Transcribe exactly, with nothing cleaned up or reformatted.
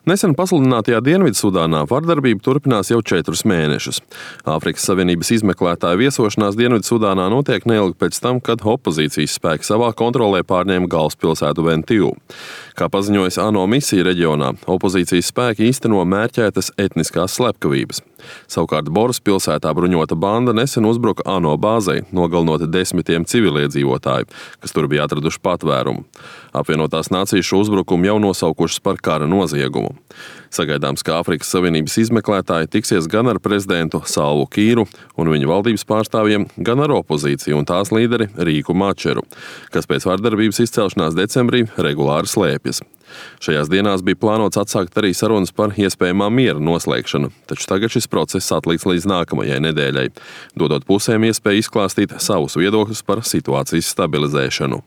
Nesen pasludinātajā Dienvidsudānā vardarbība turpinās jau četrus mēnešus. Āfrikas Savienības izmeklētāju viesošanās Dienvidsudānā notiek neilgi pēc tam, kad opozīcijas spēki savā kontrolē pārņēma galvaspilsētu Bentiu. Kā paziņojas ANO misija reģionā, opozīcijas spēki īsteno mērķētas etniskās slepkavības. Savukārt Boras pilsētā bruņota banda nesen uzbruka ANO bāzei, nogalinot desmitiem civiliedzīvotāju, kas tur bija atraduši patvērumu. Apvienotās nācijas šo uzbrukumu jau nosaukušas par kara noziegumu. Sagaidāms, ka Āfrikas Savienības izmeklētāji tiksies gan ar prezidentu Salvu Kīru un viņa valdības pārstāvjiem, gan ar opozīciju un tās līderi Rīku Mačeru, kas pēc vardarbības izcelšanās decembrī regulāri slēpjas. Šajās dienās bija plānots atsākt arī sarunas par iespējamā miera noslēgšanu, taču tagad šis process atlikts līdz nākamajai nedēļai, dodot pusēm iespēju izklāstīt savus viedokļus par situācijas stabilizēšanu.